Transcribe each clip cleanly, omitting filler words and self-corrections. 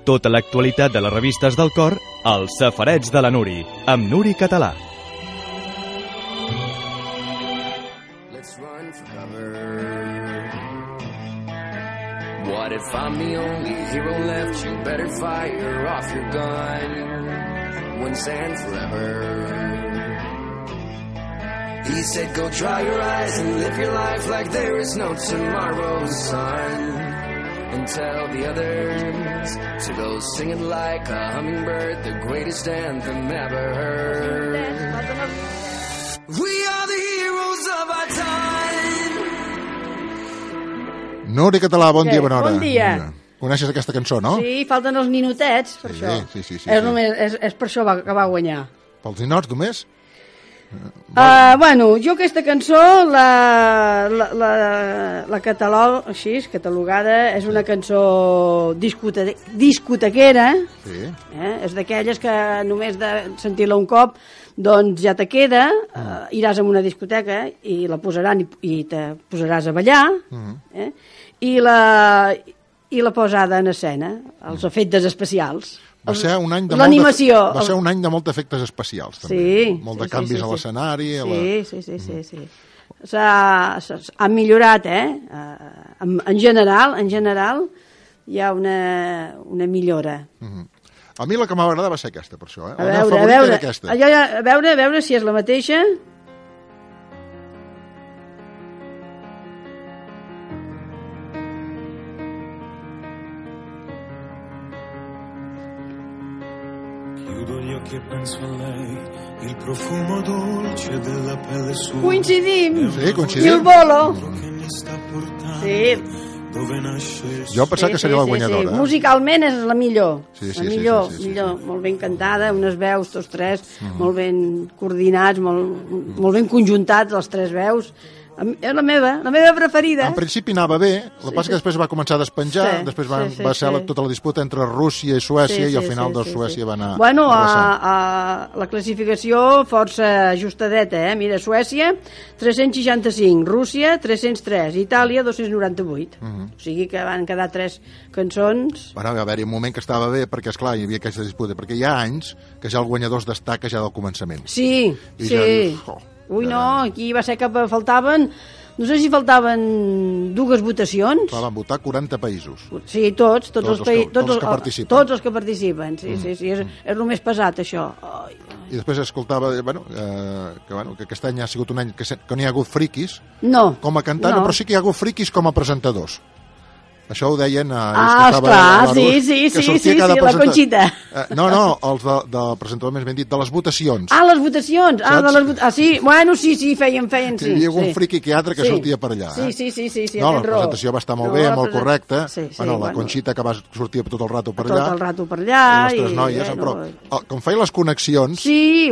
Tota l'actualitat de les revistes del cor als Safarets de la Nuri, amb Nuri Català. What if I'm the only hero left? You better fire off your gun once and forever. He said go dry your eyes and live your life like there is no tomorrow, son. And tell the others to go singing like a hummingbird, the greatest anthem ever heard. We are the heroes of our time. Nuri Català, bon dia, bona hora. Bon dia. Coneixes aquesta cançó, no? Sí, falten els ninotets, per això. Sí. És per això que va guanyar. Pels ninots, només? Bueno, jo aquesta cançó la catalogada, és una cançó discotequera, Sí. És d'aquelles que només de sentir-la un cop doncs ja te queda, iràs a una discoteca i la posaran i te posaràs a ballar, i la posada en escena, els efectes especials. Va ser un any de l'animació. Va ser un any de molts efectes especials, també. Sí. Molt de canvis a l'escenari. Sí. Han millorat, en general hi ha una millora. A mi la que m'agrada va ser aquesta, per això. A veure si és la mateixa. Che penso a lei, il profumo dolce della pelle sua. Coincidim. Sí, coincidim. I el bolo. Sí. Jo pensava que seria la guanyadora. Sí. Musicalment és la millor. Sí. Millor. Molt ben cantada, unes veus, tots tres, molt ben coordinats, molt ben conjuntats, les tres veus. És la meva preferida. En principi anava bé, el que passa que després va començar a despenjar, després va ser tota la disputa entre Rússia i Suècia, i al final Suècia va anar... Bueno, la classificació força ajustadeta, Mira, Suècia, 365, Rússia, 303, Itàlia, 298. O sigui que van quedar 3 cançons... Bueno, va haver-hi un moment que estava bé, perquè, esclar, hi havia aquesta disputa, perquè hi ha anys que ja el guanyador es destaca ja del començament. Sí. Ja dius, Ui, no, aquí va ser que faltaven... No sé si faltaven 2 votacions. Van votar 40 països. Sí, tots els que participen. Tots els que participen, sí, és el més pesat, això. I després escoltava, que aquest any ha sigut un any que no hi ha hagut friquis com a cantant, però sí que hi ha hagut friquis com a presentadors. Això ho deien... Esclar, sí, la Conxita. No, els del presentador, més ben dit, de les votacions. Les votacions. Sí, bueno, sí, feien, sí. Hi havia un friqui que altre que sortia per allà. Sí, no, la presentació va estar molt bé, molt correcta. La Conxita que va sortir tot el rato per allà. Tot el rato per allà. I les tres noies, però com feia les connexions... Sí.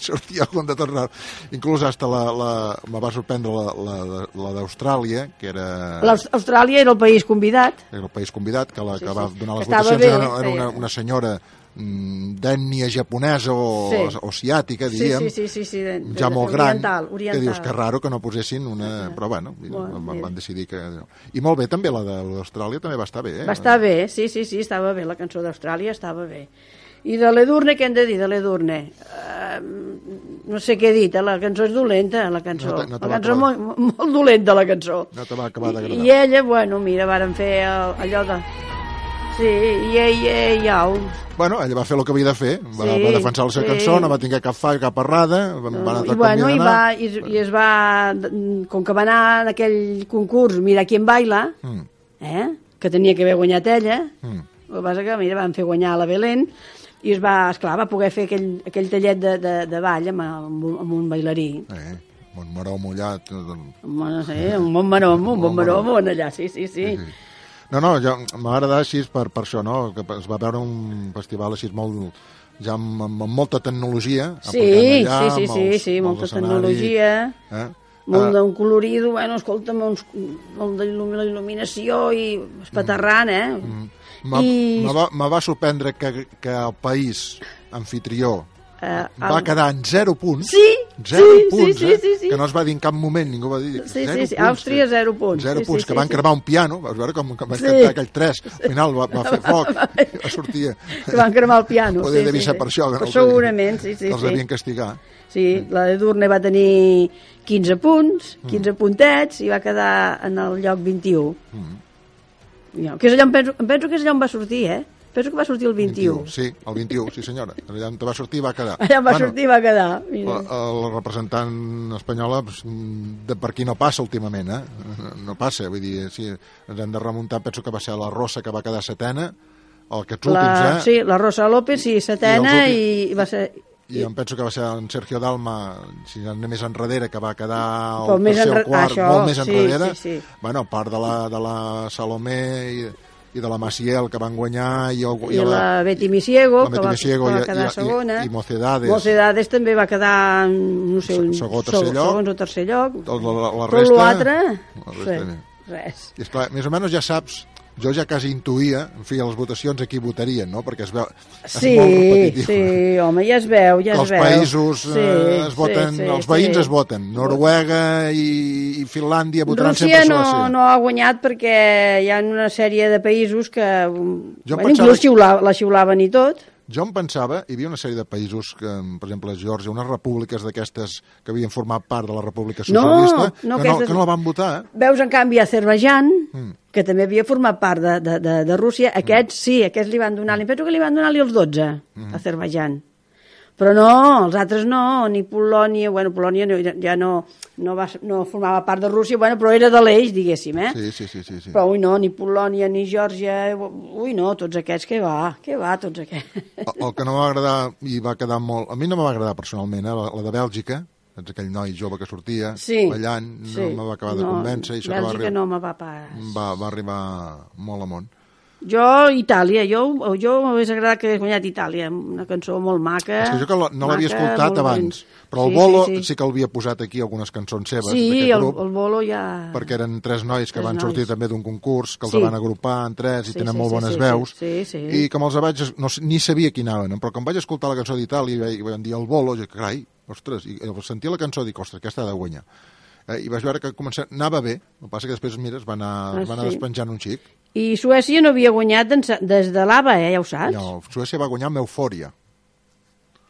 Sortia algun de tot rato. Inclús hasta me va sorprendre la d'Austràlia, que era... L'Austràlia era el país convidat. Era el país convidat, que va donar les votacions era una senyora d'ètnia japonesa o asiàtica, diríem, ja molt gran, que dius que raro que no posessin una... Però bueno, van decidir que... I molt bé, també la d'Austràlia també va estar bé. Va estar bé, sí, estava bé, la cançó d'Austràlia estava bé. I de l'Edurne, què hem de dir de l'Edurne? No sé què he dit, la cançó és dolenta, la cançó. La cançó és molt dolenta, la cançó. No te va acabar d'agradar. I ella, bueno, mira, varen fer allò de... Sí, iau. Bueno, ella va fer el que havia de fer, va defensar la seva cançó, no va tenir cap fall, cap errada, i es va... Com que va anar en aquell concurs Mira quién baila, que tenia que haver guanyat ella, el que passa que, mira, van fer guanyar la Belén, i va poder fer aquell tallet de ball amb un bailarí. Montmaró mullat. Un Montmaró allà, sí. No, m'ha agradat així per això, no? Que es va veure un festival així molt... ja amb molta tecnologia. Sí, molta tecnologia. Molt d'un colorido, bueno, escolta'm, molt d'il·luminació i espaterrant, Me va sorprendre que el país anfitrió va quedar en 0 punts. Sí, 0 punts, que no es va dir en cap moment, ningú va dir 0 punts. Àustria 0 punts. 0 punts, que van cremar un piano, vas veure com van cantar aquell 3, al final va fer foc, sortia. Que van cremar el piano. Poder devia ser per això. Segurament, sí. Els devien castigar. Sí, la de Durne va tenir 15 punts, 15 puntets, i va quedar en el lloc 21. Que és allà, em penso que és allà on va sortir, Penso que va sortir el 21. Sí, el 21, sí senyora. Allà on va sortir va quedar. Allà va sortir va quedar. La representant espanyola, per aquí no passa últimament, No passa, vull dir, sí, ens hem de remuntar, penso que va ser la Rosa que va quedar setena, aquests últims, Sí, la Rosa López, sí, setena, i va ser... I em penso que va ser en Sergio Dalma, si anem més enrere, que va quedar el tercer o quart, molt més enrere. Bueno, a part de la Salomé i de la Maciel, que van guanyar, i la Betty Misiego, que va quedar segona, i Mocedades també va quedar, no sé, segon o tercer lloc. La resta... Però l'altre, res. I esclar, més o menys ja saps, jo ja quasi intuïa, en fi, a les votacions aquí votarien, no? Perquè es veu... És molt repetitiu. Sí, home, ja es veu, Els països es voten, els veïns es voten. Noruega i Finlàndia votaran sempre a Suècia. Rússia no ha guanyat perquè hi ha una sèrie de països que inclús la xiulaven i tot. Jo em pensava, hi havia una sèrie de països, que, per exemple, a Geòrgia, unes repúbliques d'aquestes que havien format part de la República Socialista, que no la van votar. Veus, en canvi, Azerbaidjan, que també havia format part de Rússia, aquests li van donar, penso que li van donar-li els 12, a Azerbaidjan. Però no, els altres no, ni Polònia, Polònia ja no formava part de Rússia, però era de l'eix, diguéssim, Sí. Però, ni Polònia, ni Geòrgia, tots aquests, què va, tots aquests. El que no m'va agradar, i va quedar molt... A mi no m'va agradar personalment, la de Bèlgica, aquell noi jove que sortia, ballant, no me va acabar de convèncer. Bèlgica no me va pas. Va arribar molt amunt. Jo, Itàlia, jo m'hagués agradat que hagués guanyat Itàlia, una cançó molt maca. És que jo no l'havia escoltat abans, però el Bolo sí que l'havia posat aquí algunes cançons seves d'aquest grup. El Bolo ja... Perquè eren 3 nois que van sortir també d'un concurs, que els van agrupar en 3 i tenen molt bones veus. I com els vaig... ni sabia qui anaven, però com vaig escoltar la cançó d'Itàlia i van dir el Bolo, jo, carai, ostres, i sentir la cançó dic, ostres, aquesta ha de guanyar. I vaig veure que anava bé, el que passa que després, mira, es va anar despenjant un xic. I Suècia no havia guanyat des de l'ABA, ja ho saps? No, Suècia va guanyar amb Eufòria.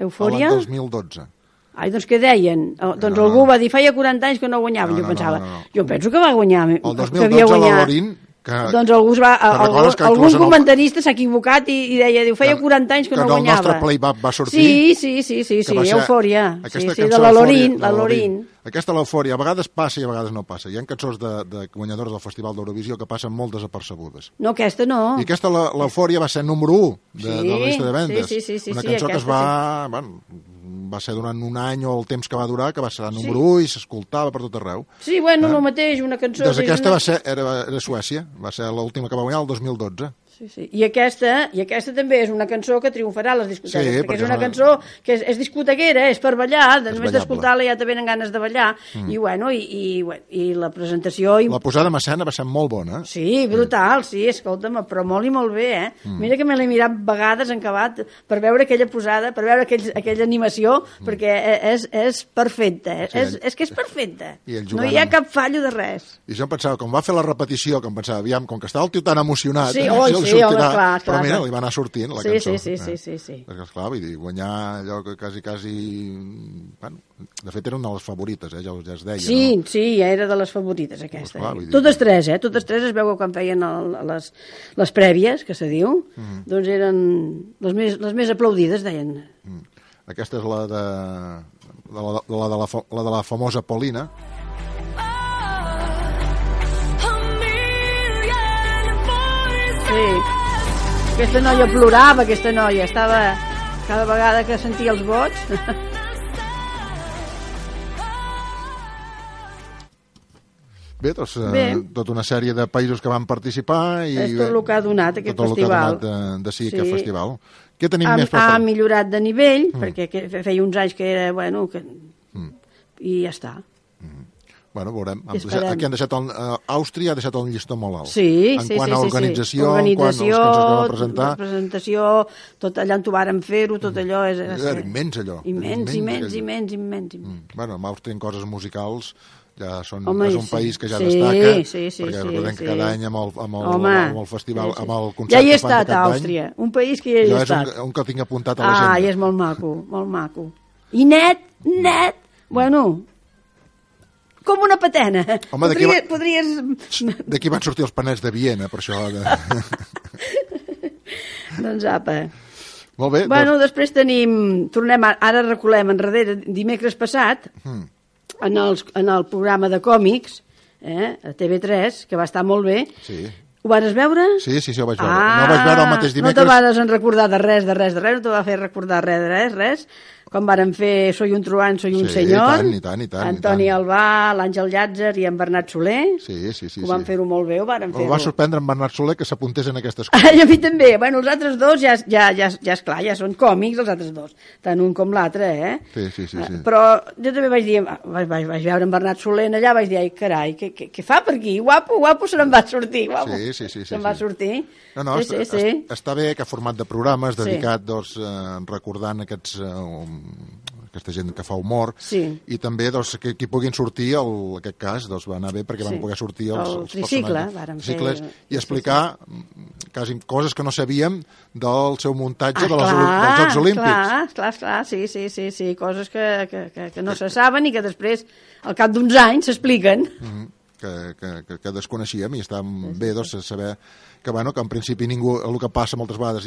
Eufòria? L'any 2012. Ai, doncs què deien? Doncs algú va dir, feia 40 anys que no guanyaven, jo pensava. Jo penso que va guanyar. El 2012 la Lorín... Doncs algun comentarista s'ha equivocat i deia, feia 40 anys que no guanyava. Que el nostre playback va sortir. Sí, Eufòria. Sí, de la Lorín. Aquesta l'Eufòria a vegades passa i a vegades no passa. Hi ha cançons de guanyadors del Festival d'Eurovisió que passen molt desapercebudes. No, aquesta no. I aquesta, l'Eufòria, va ser número 1 de la llista de vendes. Sí, una cançó que es va ser durant un any o el temps que va durar, que va ser número 1 i s'escoltava per tot arreu. Sí, el mateix, una cançó... Doncs aquesta era Suècia, va ser l'última que va guanyar el 2012. Sí. I aquesta també és una cançó que triomfarà a les discoteques, perquè és una cançó que és discotequera, és per ballar, només d'escoltar-la ja te venen ganes de ballar, i la presentació... La posada en escena va ser molt bona. Sí, brutal, escolta'm, però molt i molt bé, Mira que me l'he mirat vegades en acabat per veure aquella posada, per veure aquella animació, perquè és perfecta, és que és perfecta. No hi ha cap fallo de res. I jo em pensava, com va fer la repetició, que em pensava, aviam, com que estava el tio tan emocionat... Sí, clar. Però mira, li va anar sortint la cançó. Sí. Perquè, esclar, vull dir, guanyar allò que quasi... Bueno, de fet, era una de les favorites, ja es deia. Sí, ja era de les favorites, aquesta. Totes tres es veu quan feien les prèvies, que se diu, doncs eren les més aplaudides, deien. Aquesta és la de la famosa Polina. Sí, aquesta noia plorava, estava cada vegada que sentia els vots. Bé, doncs tota una sèrie de països que van participar i és tot el que ha donat aquest festival. Tot el que ha donat aquest festival. Què tenim més per fer? Ha millorat de nivell, perquè feia uns anys que era, i ja està. Bueno, veurem. Aquí han deixat Àustria ha deixat un llistó molt alt. Sí. En quant a organització, en quant als que ens vam presentar... La presentació, tot allà on t'ho varen fer-ho, tot allò... Era immens, allò. Immens. Bueno, amb Àustria en coses musicals ja és un país que ja destaca, perquè recordem que cada any amb el festival, amb el concert ja hi he que fan estat, a Àustria, un país que ja hi he estat. És un que tinc apuntat a l'agenda. I és molt maco. I net, bueno, com una patena. Home, d'aquí van sortir els panets de Viena, per això. Doncs apa. Molt bé. Bueno, després ara recolem enrere, dimecres passat, en el programa de còmics, a TV3, que va estar molt bé. Sí. Ho vas veure? Sí, ho vaig veure. No vaig veure el mateix dimecres. No te vas recordar de res, no te va fer recordar res. Quan varen fer Soy un truán, soy un senyor. I tant. Antoni Albà, l'Àngel Llàtzer i en Bernat Soler. Sí. Ho van fer-ho molt bé, Em va sorprendre en Bernat Soler que s'apuntés en aquestes coses. I a mi també. Bueno, els altres dos ja és clar, ja són còmics, els altres dos. Tant un com l'altre, Sí. Però jo també vaig dir, vaig veure en Bernat Soler allà, vaig dir, ai, carai, què fa per aquí? Guapo se n'en va sortir, guapo. Sí. Se'n va sortir. No, està bé que ha format de programes dedicat, recordant aquesta gent que fa humor, i també que hi puguin sortir, en aquest cas, va anar bé perquè van poder sortir els tricicles i explicar coses que no sabíem del seu muntatge dels Jocs Olímpics. Clar, sí, coses que no se saben i que després, al cap d'uns anys, s'expliquen. Que desconeixíem, i està bé saber que en principi ningú, el que passa moltes vegades,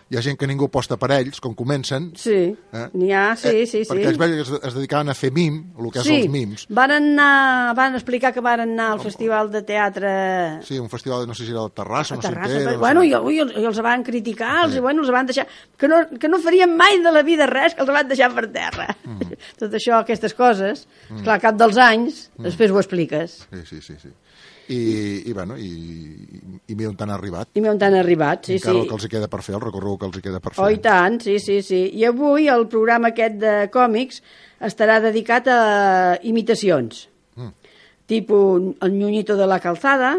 hi ha gent que ningú posta per ells, com comencen. Sí, n'hi ha, sí. Perquè ells veien que es dedicaven a fer mim, el que és els mims. Van explicar que van anar al festival de teatre... Sí, un festival, no sé si era de Terrassa, no sé què. Bueno, i els van criticar, els van deixar... Que no farien mai de la vida res, que els van deixar per terra. Tot això, aquestes coses, clar, al cap dels anys, després ho expliques. Sí. I mira on han arribat. Sí. Encara el que els queda per fer, el recorregut que els queda per fer. Oh, i tant, sí. I avui el programa aquest de còmics estarà dedicat a imitacions. Tipus el Ñuñito de la Calzada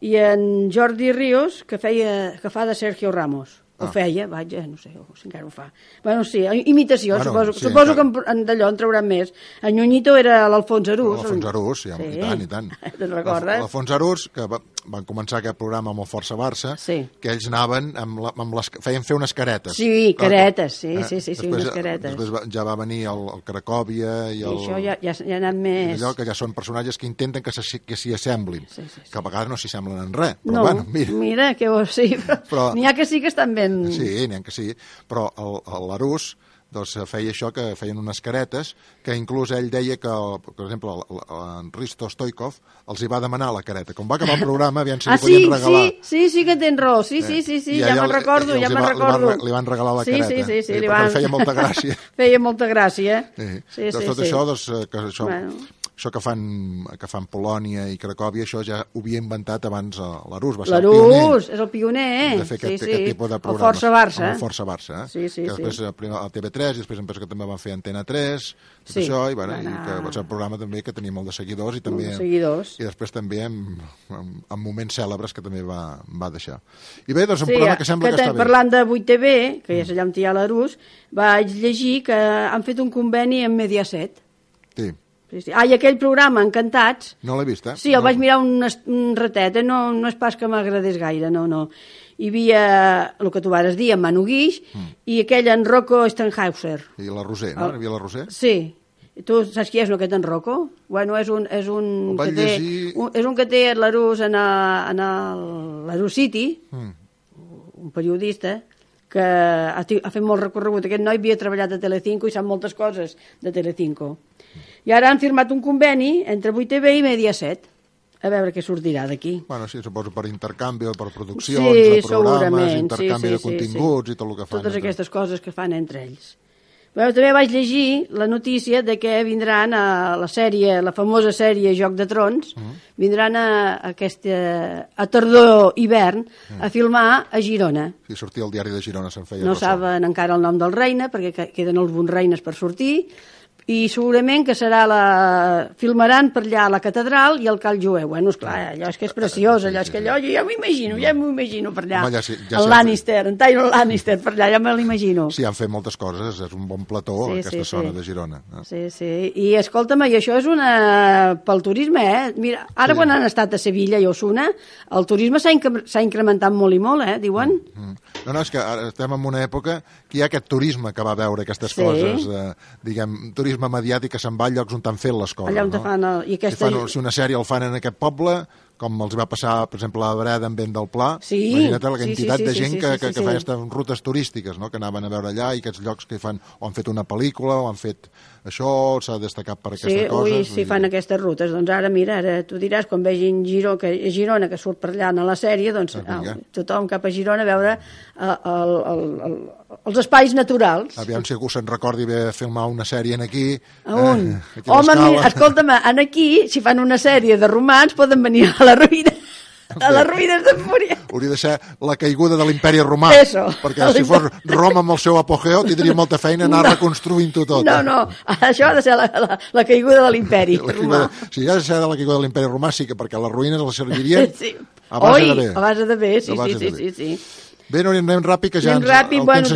i en Jordi Ríos, que fa de Sergio Ramos. Ho feia, no sé si encara ho fa. Bueno, sí, imitacions, suposo que d'allò en trauran més. En Ñuñito era l'Alfons Arús. L'Alfons Arús, sí, i tant. Te'n recordes? L'Alfons Arús, que van començar aquest programa amb el Força Barça, que ells anaven feien fer unes caretes. Sí, caretes, sí, unes caretes. Després ja va venir el Cracòvia i el... I això ja ha anat més... Allò que ja són personatges que intenten que s'hi assemblin, que a vegades no s'hi semblen en res. No, mira, que sí, però n'hi ha que sí que estan ben... Sí, n'hi ha que sí, però l'Arús feia això, que feien unes caretes, que inclús ell deia que, per exemple, en Risto Stoikov els hi va demanar la careta. Com va acabar el programa, aviam si li podien regalar. Sí que tens raó, sí, ja me'n recordo. Li van regalar la careta. Sí, perquè feia molta gràcia. Feia molta gràcia. Tot això, això que fan Polònia i Cracòvia, això ja ho havia inventat abans l'Arús. L'Arús és el pioner. De fer aquest tipus de programes. El Força Barça. Que després primer a TV3 i després em penso que també van fer Antena 3, tot això, i que va ser un programa també que tenia molt de seguidors i després també amb moments cèlebres que també va deixar. I bé, doncs un programa que sembla que està bé. Parlant de 8TV, que és allà on hi ha l'Arús, vaig llegir que han fet un conveni amb Mediaset. Sí. I aquell programa, Encantats... No l'he vist, Sí, el vaig mirar un ratet, no és pas que m'agradés gaire, no. Hi havia el que tu vas dir, en Manu Guix, i aquell en Rocco Stenhauser. I la Roser, no? Hi havia la Roser? Sí. Tu saps qui és, no, aquest en Rocco? Bueno, és un que té l'Arús en l'Arús City, un periodista, que ha fet molt recorregut. Aquest noi havia treballat a Telecinco i sap moltes coses de Telecinco. I ara han firmat un conveni entre 8TV i Mediaset. A veure què sortirà d'aquí. Bueno, sí, suposo per intercanvi, per produccions de programes, intercanvi de continguts i tot el que fan. Totes aquestes coses que fan entre ells. Bueno, també vaig llegir la notícia de que vindran a la famosa sèrie Joc de Trons, vindran a tardor-hivern a filmar a Girona. Sí, sortia el diari de Girona, se'n feia. No saben encara el nom del reina, perquè queden alguns reines per sortir, i segurament que filmaran per allà a la catedral i al Cal Jueu. Bueno, esclar, allò és que és preciós, allò és que allò jo ja m'ho imagino per allà. El Lannister, en Tyrion Lannister, per allà ja me l'imagino. Sí, han fet moltes coses, és un bon plató, aquesta zona de Girona. Sí, i escolta'm, i això és pel turisme, Mira, ara quan han estat a Sevilla i Osuna, el turisme s'ha incrementat molt i molt, diuen. No, és que ara estem en una època que hi ha aquest turisme que va veure aquestes coses, diguem, turisme mediàtic que se'n va a llocs on t'han fet les coses. Allà on te fan... Si una sèrie el fan en aquest poble, com els va passar, per exemple, a Breda en Vent del Pla, imagina't la quantitat de gent que feia aquestes rutes turístiques, que anaven a veure allà, i aquests llocs que fan, o han fet una pel·lícula, o han fet això, s'ha destacat per aquestes coses. Sí, fan aquestes rutes. Doncs ara, mira, tu diràs, quan vegin Girona, que surt per allà a la sèrie, doncs tothom cap a Girona a veure els espais naturals. Aviam si algú se'n recordi de filmar una sèrie aquí. Home, escolta'm, aquí, si fan una sèrie de romans, poden venir a les ruïnes de Múria. Hauria de ser la caiguda de l'imperi romà. Perquè si fos Roma amb el seu apogeu tindria molta feina anar reconstruint-ho tot. No, això ha de ser la caiguda de l'imperi romà. Si ha de ser la caiguda de l'imperi romà, sí que perquè les ruïnes les servirien a base de bé. Sí. Bé, no anem ràpid, que ja el temps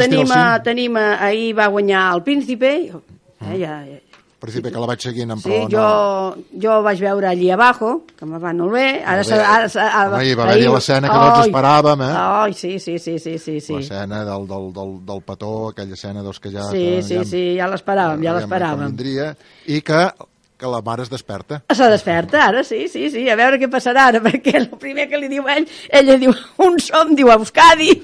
tenim ahir va guanyar el Príncipe, Príncipe, que la vaig seguint en pro... Sí, jo vaig veure allí abajo, que me va molt bé. Ahir va haver-hi l'escena que no ens esperàvem, Sí. L'escena del petó, aquella escena que ja... Sí, ja l'esperàvem. I que la mare es desperta. Se desperta, ara, sí, a veure què passarà ara, perquè el primer que li diu ella diu un som, diu Euskadi.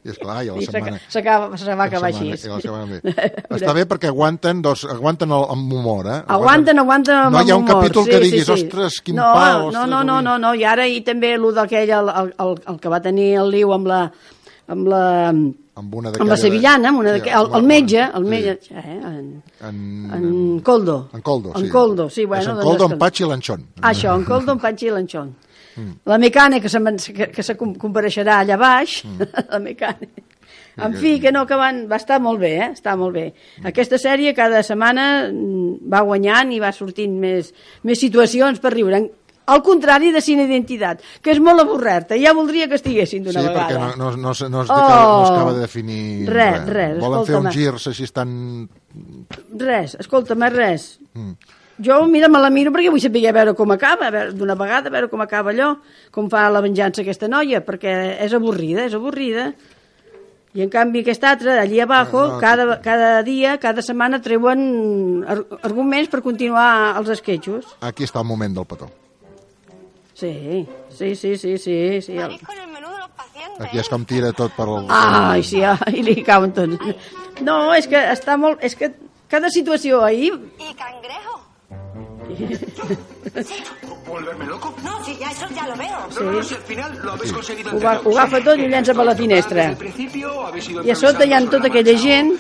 I esclar, i a la setmana... Se va acabar així. Està bé perquè aguanten amb humor, Aguanten amb humor. No hi ha un capítol que diguis, ostres, quin pal... No, i ara i també d'aquell, el que va tenir el liu amb la sevillana, el metge, en Coldo. En Coldo, sí. En Coldo, sí, bueno. En Coldo, en Patxi i l'Anxón. Això, en Coldo, en Patxi i l'Anxón. La mecànica que se compareixerà allà baix, la mecànica. En fi, que va estar molt bé, està molt bé. Aquesta sèrie cada setmana va guanyant i va sortint més situacions per riure. Al contrari de Sin Identitat, que és molt avorrerta. Ja voldria que estiguessin d'una vegada. Sí, perquè no es acaba de definir res. Volen fer uns girs així estan... Escolta'm, res. Jo, mira, me la miro perquè vull saber veure com acaba, d'una vegada, veure com acaba allò, com fa la venjança aquesta noia, perquè és avorrida. I en canvi aquest altre, allí abajo, cada dia, cada setmana treuen arguments per continuar els esquetxos. Aquí està el moment del petó. Sí. Aquí és com tira tot per al... Ai, sí, i li cauen tots. No, és que està molt... És que cada situació ahí... I cangrejo. ¿Volverme loco? No, sí, eso ya lo veo. No, si al final lo habéis conseguido. Ho agafa tot i ho llença per la finestra. I a sota hi ha tota aquella gent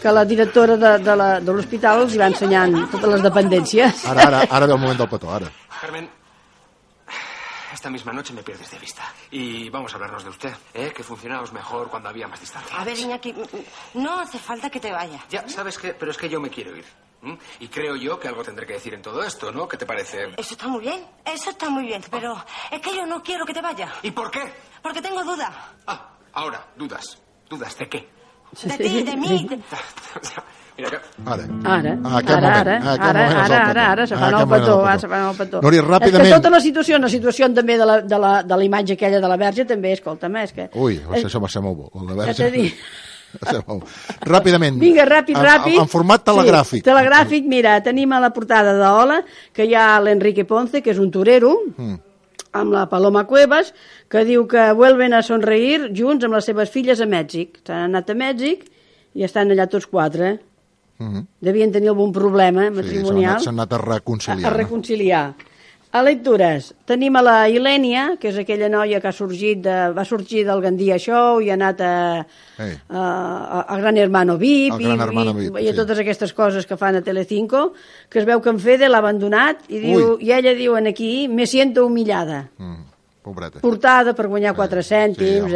que la directora de l'hospital els va ensenyant totes les dependències. Ara ve el moment del petó, ara. Carmen, esta misma noche me pierdes de vista. Y vamos a hablarnos de usted, que funcionábamos mejor cuando había más distancia. A ver, Iñaki, no hace falta que te vayas. Ya, ¿sabes qué? Pero es que yo me quiero ir. Y creo yo que algo tendré que decir en todo esto, ¿no? ¿Qué te parece? Eso está muy bien, pero es que yo no quiero que te vayas. ¿Y por qué? Porque tengo dudas. Ahora, dudas. ¿Dudas de qué? De ti, de mí. Ara se fan el petó. Núria, ràpidament. És que tota la situació també de la imatge aquella de la verge també, escolta'm, és que... Ui, això va ser molt bo, la verge. Ràpidament. Vinga, ràpid. En format telegràfic. Sí, telegràfic, mira, tenim a la portada d'Ola que hi ha l'Enrique Ponce, que és un torero, amb la Paloma Cuevas, que diu que vuelven a sonreír junts amb les seves filles a Mèxic. S'han anat a Mèxic i estan allà tots quatre. Devien tenir algun problema matrimonial. S'han anat a reconciliar. A lectures, tenim a la Ilènia, que és aquella noia que va sorgir del Gandia Show i ha anat a Gran Hermano VIP i a totes aquestes coses que fan a Telecinco, que es veu que en Fede l'ha abandonat i ella diu aquí, me siento humillada. Pobreta. Portada per guanyar 4 cèntims,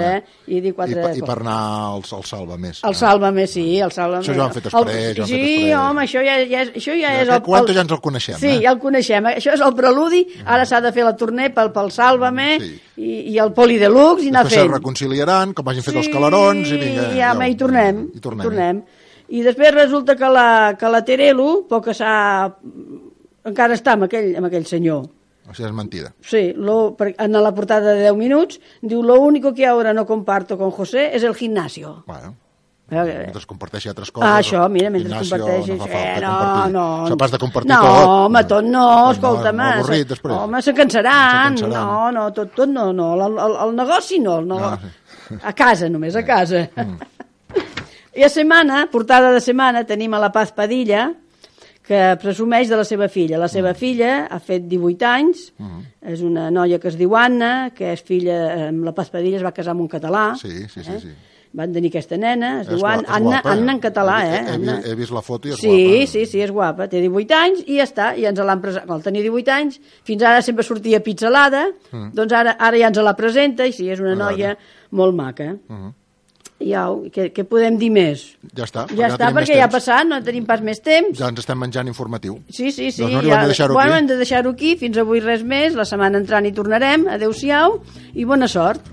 i dir 4... I per anar al Salva-més. El Salva-més, sí, el Salva-més. Això ja ho han fet després. Sí, home, això ja és... Quanto ja ens el coneixem, Sí, ja el coneixem. Això és el preludi, ara s'ha de fer la torner pel Salva-més i el Poli Deluxe i anar fent. Després se reconciliaran, com hagin fet els calarons, i vinga... I hi tornem. I després resulta que la Terelu, poc que encara està amb aquell senyor. O sigui, és mentida. Sí, en la portada de 10 minuts diu, lo único que ahora no comparto con José es el gimnasio. Bueno, mentre comparteixi altres coses. Això, mira, mentre comparteixi. No. S'ha de compartir tot. No, home, tot no, escolta'm. Avorrit, després. Home, se cansaran. No, tot no. El negoci no. A casa, només a casa. I portada de setmana, tenim a la Paz Padilla, que presumeix de la seva filla. La seva filla ha fet 18 anys, és una noia que es diu Anna, que és filla, amb la Paz Padilla es va casar amb un català. Sí. Van tenir aquesta nena, es diu Anna en català, He vist la foto i és guapa. Sí, és guapa. Té 18 anys i ja està, i ens l'han presentat. Al tenir 18 anys, fins ara sempre sortia pizzalada, doncs ara ja ens la presenta, i sí, és una noia molt maca. Què podem dir més? Ja està, perquè ja ha passat, no tenim pas més temps. Ja ens estem menjant informatiu. Sí. Hem de deixar-ho aquí. Fins avui res més, la setmana entrant hi tornarem. Adéu-siau i bona sort.